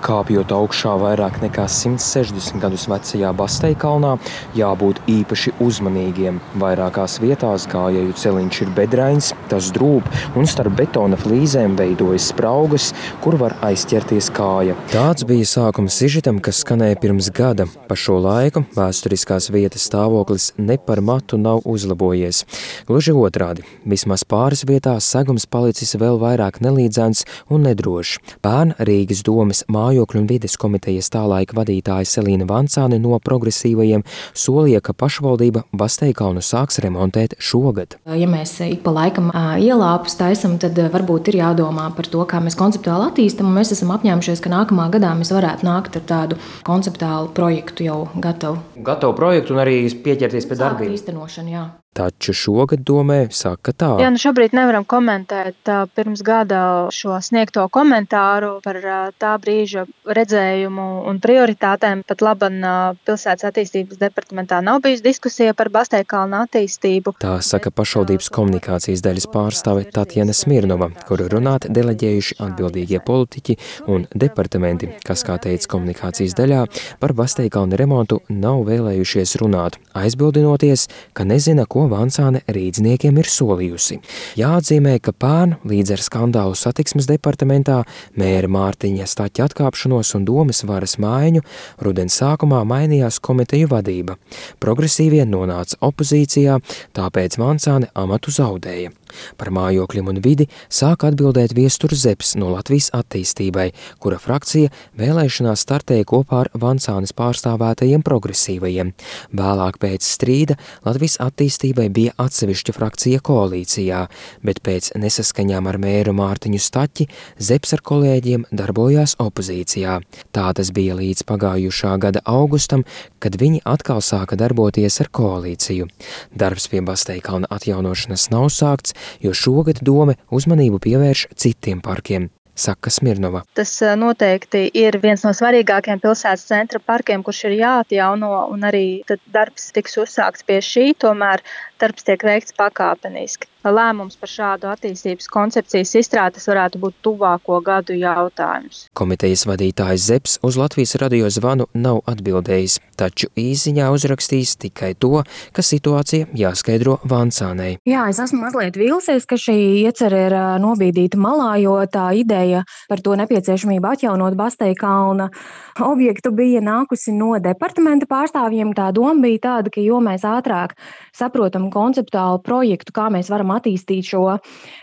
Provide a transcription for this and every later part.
Kāpjot augšā vairāk nekā 160 gadus vecajā Basteikalnā, jābūt īpaši uzmanīgiem. Vairākās vietās gājēju celiņš ir bedrains, tas drūp un starp betona flīzēm veidojas spraugas, kur var aizķerties kāja. Tāds bija sākuma sižetam, kas skanēja pirms gada. Pa šo laiku vēsturiskās vietas stāvoklis ne par matu nav uzlabojies. Gluži otrādi, vismaz pāris vietās segums palicis vēl vairāk nelīdzens un nedrošs. Pērn Rīgas domes mājokļu un vides komitejas tālaika vadītāja Selīna Vancāne no progresīvajiem solīja, ka pašvaldība Basteikalnu sāks remontēt šogad. Ja mēs ik pa laikam ielāpus taisam, tad varbūt ir jādomā par to, kā mēs konceptuāli attīstam, un mēs esam apņēmušies, ka nākamā gadā mēs varētu nākt ar tādu konceptuālu projektu jau gatavu. Gatavu projektu un arī pieķerties pie darbiem. Īstenošanu, jā. Taču šogad domē saka tā. Jā, šobrīd nevaram komentēt pirms gada šo sniegto komentāru par tā brīža redzējumu un prioritātēm. Pat laban pilsētas attīstības departamentā nav bijusi diskusija par Basteikalna attīstību. Tā saka pašvaldības komunikācijas daļas pārstāve Tatjana Smirnova, kuru runāt deleģējuši atbildīgie politiķi un departamenti, kas, kā teica komunikācijas daļā, par Basteikalna remontu nav vēlējušies runāt, aizbildinoties, ka nezina, ko Vancāne rīdzniekiem ir solījusi. Jāatzīmē, ka pērn līdz ar skandālu satiksmes departamentā, mēra Mārtiņa Staķa atkāpšanos un domes varas maiņu rudens sākumā mainījās komiteju vadība. Progresīvie nonāca opozīcijā, tāpēc Vancāne amatu zaudēja. Par mājokļiem un vidi sāk atbildēt Viestur Zepes no Latvijas attīstībai, kura frakcija vēlēšanās startēja kopā ar Vancānes pārstāvētajiem progresīvajiem. Vēlāk pēc strīda Latvijas attīstībai bija atsevišķa frakcija koalīcijā, bet pēc nesaskaņām ar mēru Mārtiņu Staķi Zepes ar kolēģiem darbojās opozīcijā. Tā tas bija līdz pagājušā gada augustam, kad viņi atkal sāka darboties ar koalīciju. Darbs pie Basteikalna atjaunošanas nav sākts, jo šogad dome uzmanību pievērš citiem parkiem, saka Smirnova. Tas noteikti ir viens no svarīgākajiem pilsētas centra parkiem, kurš ir jāatjauno, un arī tad darbs tiks uzsākts pie šī, tomēr darbs tiek veikts pakāpeniski. Lēmums par šādu attīstības koncepcijas izstrādes varētu būt tuvāko gadu jautājums. Komitejas vadītājs Zepes uz Latvijas radio zvanu nav atbildējis, taču īsziņā uzrakstījis tikai to, ka situācija jāskaidro Vancānei. Jā, es esmu mazliet vīlusies, ka šī iecerē ir nobīdīta malā, jo tā ideja par to nepieciešamību atjaunot Basteikalna objektu bija nākusi no departamenta pārstāvjiem. Tā doma bija tāda, ka jo mēs ātrāk saprotam konceptuālu projektu, kā mēs varam attīstīt šo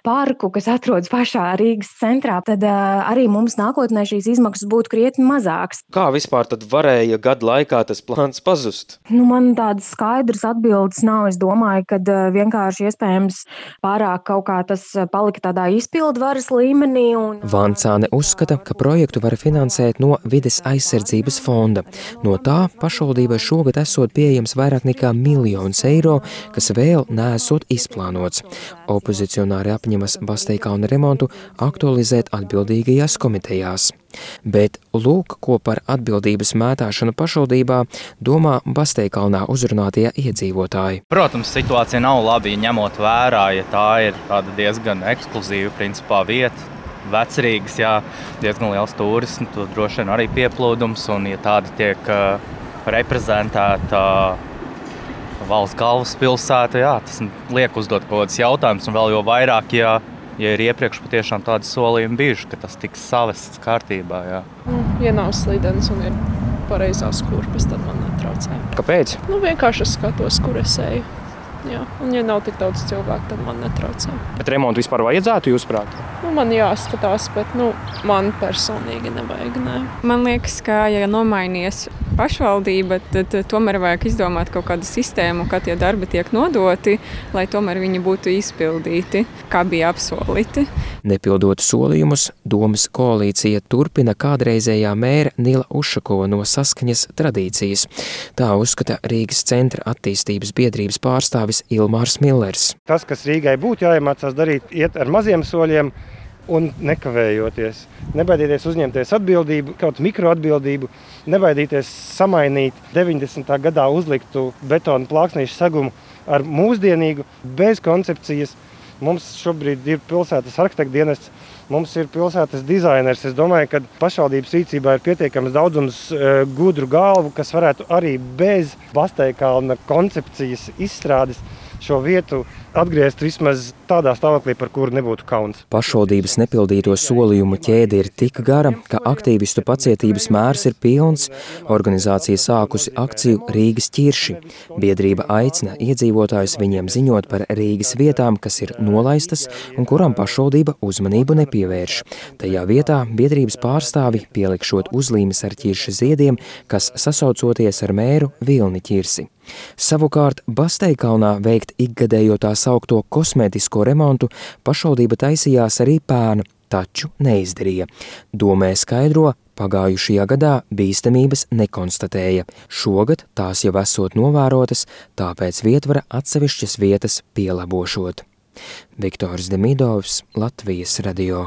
parku, kas atrodas pašā Rīgas centrā, tad arī mums nākotnē šīs izmaksas būtu krietni mazākas. Kā vispār tad varēja gadu laikā tas plāns pazust? Man tādas skaidras atbildes nav. Es domāju, ka vienkārši iespējams pārāk kaut kā tas palika tādā izpildvaras līmenī. Vancāne uzskata, ka projektu var finansēt no vides aizsardzības fonda. No tā pašvaldībai šogad esot pieejams vairāk nekā 1 miljons eiro, kas vēl neesot izplānots. Opozicionāri apņemas Basteikalna remontu aktualizēt atbildīgajās komitejās. Bet lūk, ko par atbildības mētāšanu pašvaldībā domā Basteikalnā uzrunātie iedzīvotāji. Protams, situācija nav labi, ņemot vērā, ja tā ir tāda diezgan ekskluzīva principā vieta. Vecrīgas, jā, diezgan liels turismu, tur droši vien arī pieplūdums, un ja tāda tiek reprezentēta valsts galvaspilsēta, jā, tas liek uzdot kaut kādas jautājumus, un vēl jo vairāk, ja ir iepriekš patiešām tādi solījumi bijuši, ka tas tiks savests kārtībā, jā. Ja nav slīdens un ir pareizās kurpes, tad man netraucē. Kāpēc? Vienkārši es skatos, kur es eju. Jā, un ja nav tik daudz cilvēku, tad man netraucē. Bet remontu vispār vajadzētu, jūsuprāt? Man jāskatās, bet man personīgi nevajag, nē. Man liekas, ka, ja nomainies pašvaldība, tad tomēr vajag izdomāt kaut kādu sistēmu, kā tie darbi tiek nodoti, lai tomēr viņi būtu izpildīti, kā bija apsolīti. Nepildot solījumus, domes koalīcija turpina kādreizējā mēra Nila Ušakova no Saskaņas tradīcijas. Tā uzskata Rīgas centra attīstības biedrības pārstāvis Ilmārs Millers. Tas, kas Rīgai būtu jāiemācās darīt, iet ar maziem soļiem un nekavējoties. Nebaidīties uzņemties atbildību, kaut mikroatbildību, nebaidīties samainīt 90. gadā uzliktu betona plāksnīšu segumu ar mūsdienīgu, bez koncepcijas, Mums šobrīd ir pilsētas arhitekta dienests, mums ir pilsētas dizainers. Es domāju, ka pašvaldības rīcībā ir pietiekams daudzums gudru galvu, kas varētu arī bez Basteikalna koncepcijas izstrādes šo vietu atgriezt vismaz tādā stāvoklī, par kuru nebūtu kauns. Pašvaldības nepildīto solījumu ķēde ir tik gara, ka aktīvistu pacietības mērs ir pilns. Organizācija sākusi akciju Rīgas ķirši. Biedrība aicina iedzīvotājus viņiem ziņot par Rīgas vietām, kas ir nolaistas un kurām pašvaldība uzmanību nepievērš. Tajā vietā biedrības pārstāvi pielikšot uzlīmes ar ķirša ziediem, kas sasaucoties ar mēru Vilni ķirsi. Savukārt Basteikalnā veikt ikgadējo tā saukto kosmētisko remontu pašvaldība taisījās arī pērn, taču neizdarīja. Domē skaidro, pagājušajā gadā bīstamības nekonstatēja. Šogad tās jau esot novērotas, tāpēc vietvara atsevišķas vietas pielabošot. Viktors Demidovs, Latvijas radio.